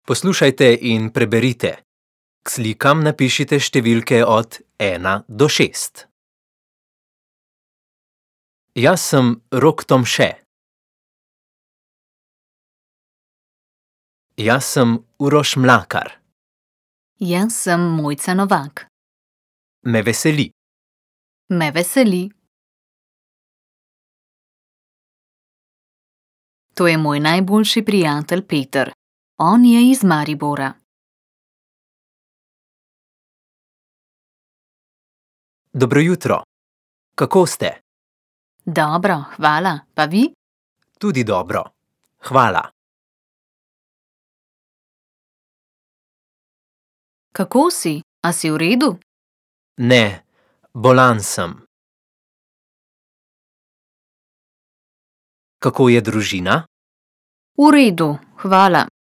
Poslušajte in preberite. K slikam napišite številke od 1 do 6. Jaz sem Rok Tomše. Jaz sem Uroš Mlakar. Jaz sem Mojca Novak. Me veseli. Me veseli. To je moj najboljši prijatelj Peter. On je iz Maribora. Dobro jutro. Kako ste? Dobro, hvala. Pa vi? Tudi dobro. Hvala. Kako si? A si v redu? Ne, bolan sem. Kako je družina? V redu, hvala.